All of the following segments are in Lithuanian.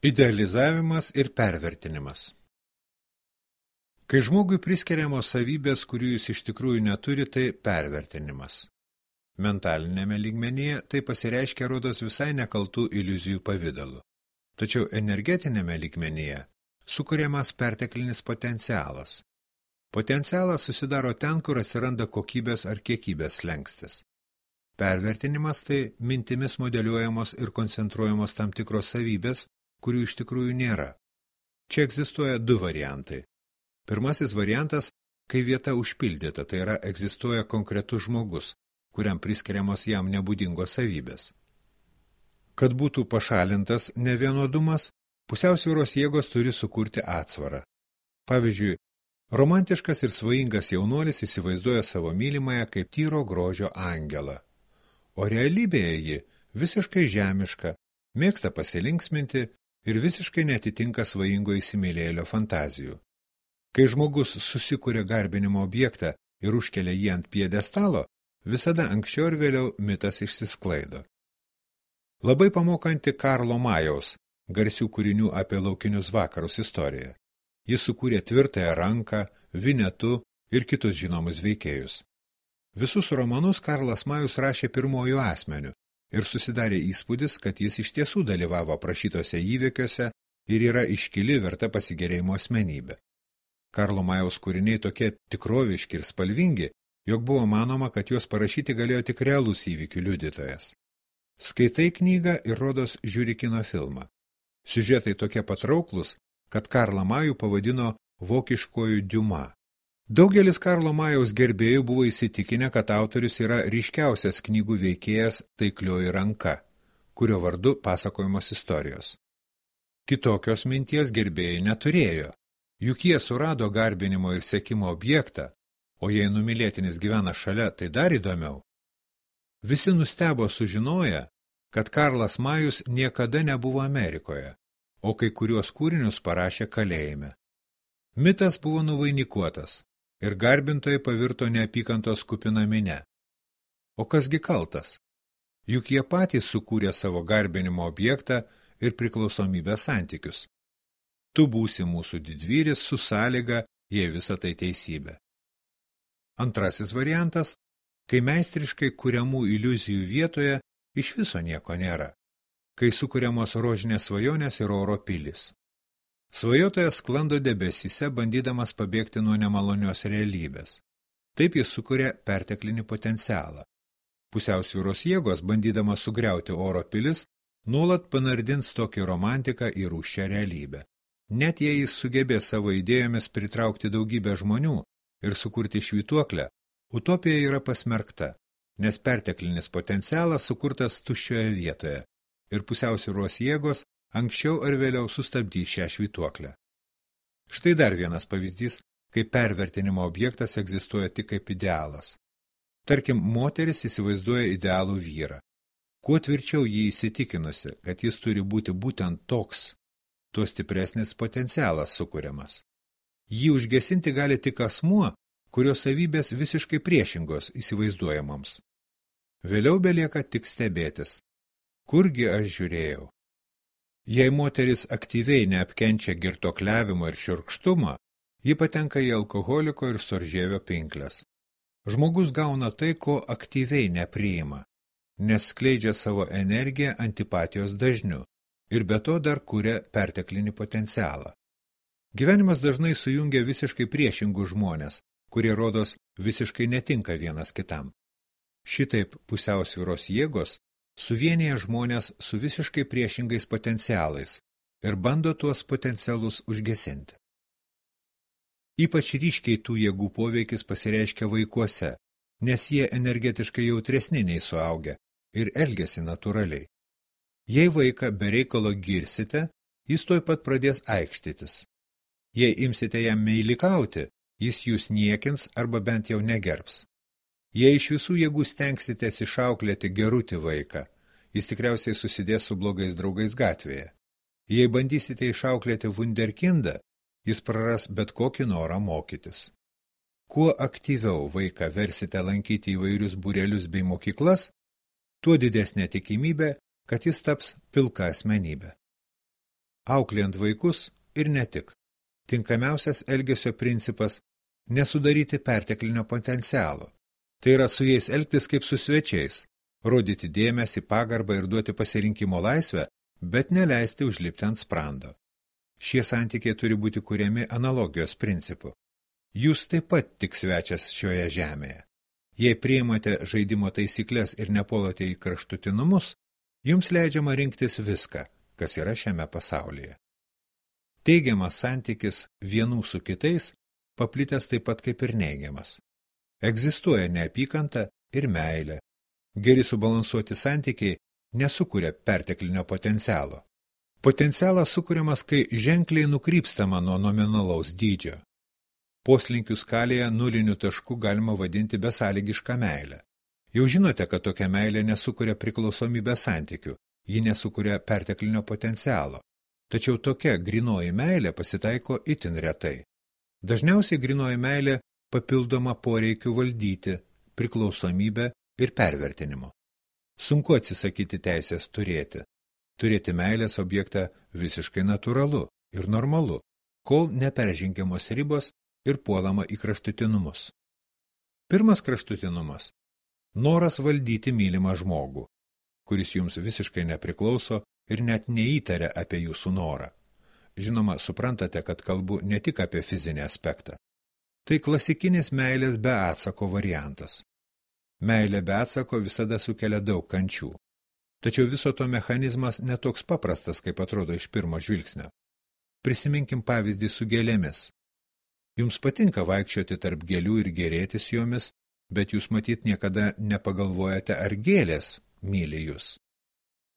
Idealizavimas ir pervertinimas. Kai žmogui priskiriamos savybės, kurių jis iš tikrųjų neturi, tai pervertinimas. Mentalinėme lygmenyje tai pasireiškia rodos visai nekaltų iliuzijų pavidalu. Tačiau energetinėme lygmenyje sukuriamas perteklinis potencialas. Potencialas susidaro ten, kur atsiranda kokybės ar kiekybės slenkstis. Pervertinimas tai mintimis modeliuojamos ir koncentruojamos tam tikros savybės, kurių iš tikrųjų nėra. Čia egzistuoja du variantai. Pirmasis variantas, kai vieta užpildyta, tai yra egzistuoja konkretus žmogus, kuriam priskiriamos jam nebūdingos savybės. Kad būtų pašalintas nevienodumas, pusiausvyros jėgos turi sukurti atsvarą. Pavyzdžiui, romantiškas ir svajingas jaunuolis įsivaizduoja savo mylimąją kaip tyro grožio angelą, o realybėje ji visiškai žemiška, mėgsta pasilinksminti ir visiškai netitinka svajingo įsimylėjėlio fantazijų. Kai žmogus susikuria garbinimo objektą ir užkelia jį ant piedestalo, visada anksčiau ir vėliau mitas išsisklaido. Labai pamokanti Karlo Majaus, garsių kūrinių apie laukinius vakarus istoriją. Jis sukūrė Tvirtąją ranką, Vinetu ir kitus žinomus veikėjus. Visus romanus Karlas Majus rašė pirmuoju asmeniu ir susidarė įspūdis, kad jis iš tiesų dalyvavo aprašytose įvykiuose ir yra iškili verta pasigėrėjimo asmenybė. Karlo Majaus kūriniai tokie tikroviški ir spalvingi, jog buvo manoma, kad juos parašyti galėjo tik realus įvykių liudytojas. Skaitai knygą ir rodos žiūri kino filmą. Siužetai tokie patrauklus, kad Karlą Majų pavadino vokiškoju Diuma. Daugelis Karlo Majaus gerbėjų buvo įsitikinę, kad autorius yra ryškiausias knygų veikėjas Taiklioji ranka, kurio vardu pasakojamos istorijos. Kitokios minties gerbėjai neturėjo, juk jie surado garbinimo ir sekimo objektą, o jei numylėtinis gyvena šalia, tai dar įdomiau. Visi nustebo sužinoję, kad Karlas Majus niekada nebuvo Amerikoje, o kai kuriuos kūrinius parašė kalėjime. Mitas buvo nuvainikuotas ir garbintojai pavirto neapykantos kupina minia. O kasgi kaltas? Juk jie patys sukūrė savo garbinimo objektą ir priklausomybės santykius. Tu būsi mūsų didvyris su sąlyga, jei visa tai teisybė. Antrasis variantas, kai meistriškai kuriamų iliuzijų vietoje iš viso nieko nėra, kai sukuriamos rožinės svajonės ir oro pilys. Svajotojas sklando debesyse, bandydamas pabėgti nuo nemalonios realybės. Taip jis sukuria perteklinį potencialą. Pusiausvyros jėgos, bandydamas sugriauti oro pilis, nuolat panardins tokį romantiką į rūsčią realybę. Net jei jis sugebės savo idėjomis pritraukti daugybę žmonių ir sukurti švytuoklę, utopija yra pasmerkta, nes perteklinis potencialas sukurtas tuščioje vietoje ir pusiausvyros jėgos anksčiau ar vėliau sustabdys šią švytuoklę. Štai dar vienas pavyzdys, kai pervertinimo objektas egzistuoja tik kaip idealas. Tarkim, moteris įsivaizduoja idealų vyrą. Kuo tvirčiau jį įsitikinusi, kad jis turi būti būtent toks, tuo stipresnis potencialas sukuriamas. Jį užgesinti gali tik asmuo, kurio savybės visiškai priešingos įsivaizduojamoms. Vėliau belieka tik stebėtis. Kurgi aš žiūrėjau? Jei moteris aktyviai neapkenčia girtuokliavimo ir šiurkštumo, ji patenka į alkoholiko ir storžėvio pinkles. Žmogus gauna tai, ko aktyviai nepriima, nes skleidžia savo energiją antipatijos dažniu ir be to dar kuria perteklinį potencialą. Gyvenimas dažnai sujungia visiškai priešingus žmonės, kurie rodos visiškai netinka vienas kitam. Šitaip pusiausvyros jėgos suvienyje žmonės su visiškai priešingais potencialais ir bando tuos potencialus užgesinti. Ypač ryškiai tų jėgų poveikis pasireiškia vaikuose, nes jie energetiškai jautresni nei suaugę ir elgiasi natūraliai. Jei vaiką be reikalo girsite, jis tuoj pat pradės aikštytis. Jei imsite jam meilikauti, jis jūs niekins arba bent jau negerbs. Jei iš visų jėgų stengsitės išauklėti gerutį vaiką, jis tikriausiai susidės su blogais draugais gatvėje. Jei bandysite išauklėti vunderkindą, jis praras bet kokį norą mokytis. Kuo aktyviau vaiką versite lankyti įvairius būrelius bei mokyklas, tuo didesnė tikimybė, kad jis taps pilka asmenybė. auklėjant vaikus ir ne tik. Tinkamiausias elgesio principas – nesudaryti perteklinio potencialo. Tai yra su jais elgtis kaip su svečiais, rodyti dėmesį, pagarbą ir duoti pasirinkimo laisvę, bet neleisti užlipti ant sprando. Šie santykiai turi būti kuriami analogijos principu. Jūs taip pat tik svečias šioje žemėje. Jei priimate žaidimo taisyklės ir nepolote į kraštutinumus, jums leidžiama rinktis viską, kas yra šiame pasaulyje. Teigiamas santykis vienų su kitais paplitęs taip pat kaip ir neigiamas. Egzistuoja neapykanta ir meilė. Geri subalansuoti santykiai nesukuria perteklinio potencialo. Potencialas sukuriamas, kai ženkliai nukrypstama nuo nominalaus dydžio. Poslinkių skalėje nulinių taškų galima vadinti besąlygišką meilę. Jau žinote, kad tokia meilė nesukuria priklausomybės santykių, ji nesukuria perteklinio potencialo. Tačiau tokia grynoji meilė pasitaiko itin retai. Dažniausiai grynoji meilė papildoma poreikiu valdyti, priklausomybę ir pervertinimu. Sunku atsisakyti teisės turėti. Turėti meilės objektą visiškai natūralu ir normalu, kol neperžengiamos ribos ir puolama į kraštutinumus. Pirmas kraštutinumas – noras valdyti mylimą žmogų, kuris jums visiškai nepriklauso ir net neįtaria apie jūsų norą. Žinoma, suprantate, kad kalbu ne tik apie fizinį aspektą. Tai klasikinis meilės be atsako variantas. Meilė be atsako visada sukelia daug kančių. Tačiau viso to mechanizmas netoks paprastas, kaip atrodo iš pirmo žvilgsnio. Prisiminkim pavyzdį su gėlėmis. Jums patinka vaikščioti tarp gėlių ir gėrėtis jomis, bet jūs matyt niekada nepagalvojate, ar gėlės myli jūs.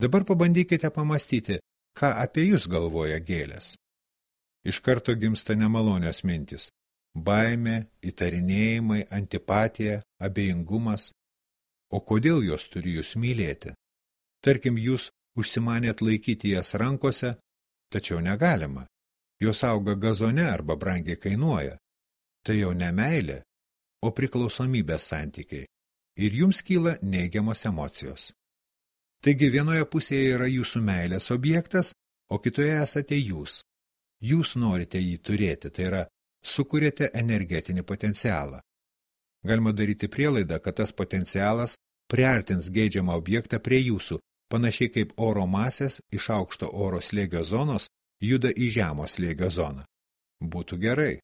Dabar pabandykite pamastyti, ką apie jūs galvoja gėlės. Iš karto gimsta nemalonios mintys. Baimė, įtarinėjimai, antipatija, abejingumas. O kodėl jos turi jūs mylėti? Tarkim, jūs užsimanėt laikyti jas rankose, tačiau negalima. Jos auga gazone arba brangiai kainuoja. Tai jau ne meilė, o priklausomybės santykiai. Ir jums kyla neigiamos emocijos. Taigi vienoje pusėje yra jūsų meilės objektas, o kitoje esate jūs. Jūs norite jį turėti, tai yra sukuriate energetinį potencialą. Galima daryti prielaidą, kad tas potencialas priartins geidžiamą objektą prie jūsų, panašiai kaip oro masės iš aukšto oro slėgio zonos juda į žemo slėgio zoną. Būtų gerai.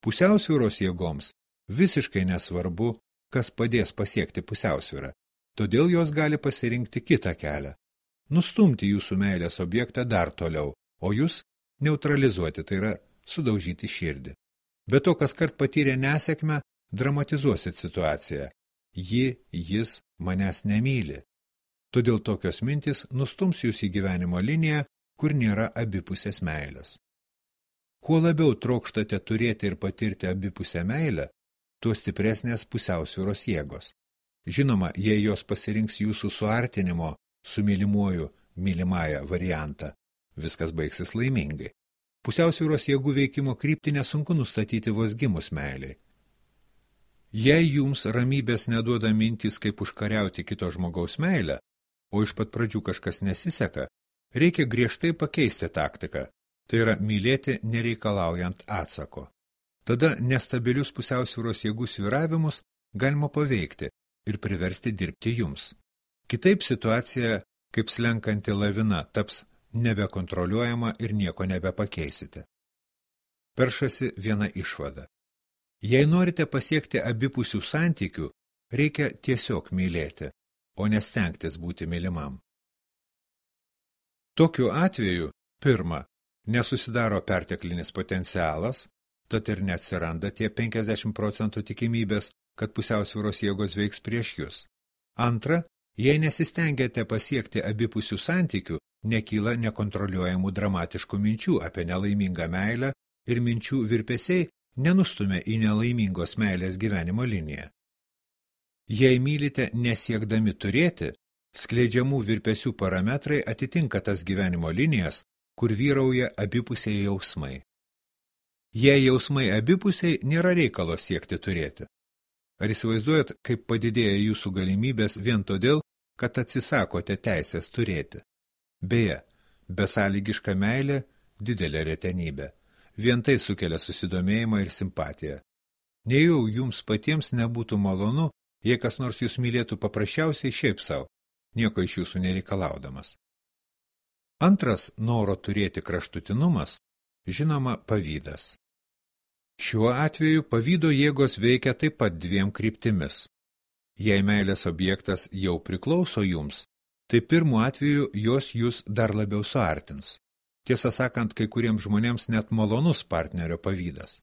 Pusiausvyros jėgoms visiškai nesvarbu, kas padės pasiekti pusiausvyrą, todėl jos gali pasirinkti kitą kelią. Nustumti jūsų meilės objektą dar toliau, o jūs neutralizuoti, tai yra sudaužyti širdį. Be to, kas kart patyrė nesėkmę, dramatizuosit situaciją. Jis manęs nemyli. Todėl tokios mintis nustums jūs į gyvenimo liniją, kur nėra abipusės meilės. Kuo labiau trokštate turėti ir patirti abipusę meilę, tuo stipresnės pusiausvyros jėgos. Žinoma, jei jos pasirinks jūsų suartinimo su mylimuoju mylimąją variantą, viskas baigsis laimingai. Pusiausvyros jėgų veikimo kryptį nesunku nustatyti vos gimus meiliai. Jei jums ramybės neduoda mintys, kaip užkariauti kito žmogaus meilę, o iš pat pradžių kažkas nesiseka, reikia griežtai pakeisti taktiką, tai yra mylėti nereikalaujant atsako. Tada nestabilius pusiausvyros jėgų svyravimus galima paveikti ir priversti dirbti jums. Kitaip situacija, kaip slenkanti lavina, taps nebekontroliuojama ir nieko nebepakeisite. Peršasi viena išvada. Jei norite pasiekti abipusių santykių, reikia tiesiog mylėti, o nestengtis būti mylimam. Tokiu atveju, pirma, nesusidaro perteklinis potencialas, tad ir neatsiranda tie 50% tikimybės, kad pusiausvyros jėgos veiks prieš jūs. Antra, jei nesistengiate pasiekti abipusių santykių, nekyla nekontroliuojamų dramatiškų minčių apie nelaimingą meilę ir minčių virpesiai nenustumia į nelaimingos meilės gyvenimo liniją. Jei mylite nesiekdami turėti, skleidžiamų virpesių parametrai atitinka tas gyvenimo linijas, kur vyrauja abipusiai jausmai. Jei jausmai abipusiai, nėra reikalo siekti turėti. Ar įsivaizduojat, kaip padidėja jūsų galimybės vien todėl, kad atsisakote teisės turėti? Beje, Besąlygiška meilė – didelė retenybė. Vien tai sukelia susidomėjimą ir simpatiją. Nejau jums patiems nebūtų malonu, jei kas nors jūs mylėtų paprasčiausiai šiaip savo, nieko iš jūsų nereikalaudamas. Antras noro turėti kraštutinumas, žinoma, pavydas. Šiuo atveju pavydo jėgos veikia taip pat dviem kryptimis. Jei meilės objektas jau priklauso jums, tai pirmu atveju jos jūs dar labiau suartins. Tiesą sakant, kai kuriems žmonėms net malonus partnerio pavydas.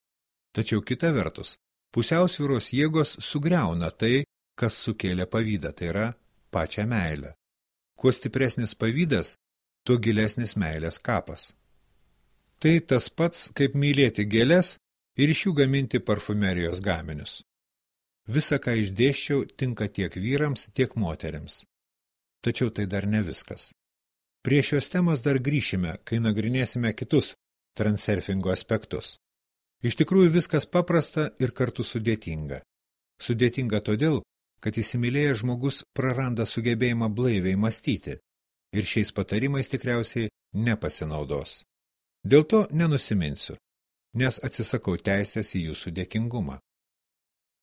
Tačiau kita vertus, pusiausvyros jėgos sugriauna tai, kas sukėlė pavydą, tai yra pačią meilę. Kuo stipresnis pavydas, tuo gilesnis meilės kapas. Tai tas pats, kaip mylėti gėles ir iš jų gaminti parfumerijos gaminius. Visa, ką išdėsčiau, tinka tiek vyrams, tiek moterims. Tačiau tai dar ne viskas. Prie šios temos dar grįšime, kai nagrinėsime kitus transurfingo aspektus. Iš tikrųjų viskas paprasta ir kartu sudėtinga. Sudėtinga todėl, kad įsimylėjęs žmogus praranda sugebėjimą blaiviai mąstyti ir šiais patarimais tikriausiai nepasinaudos. Dėl to nenusiminsiu, nes atsisakau teisės į jūsų dėkingumą.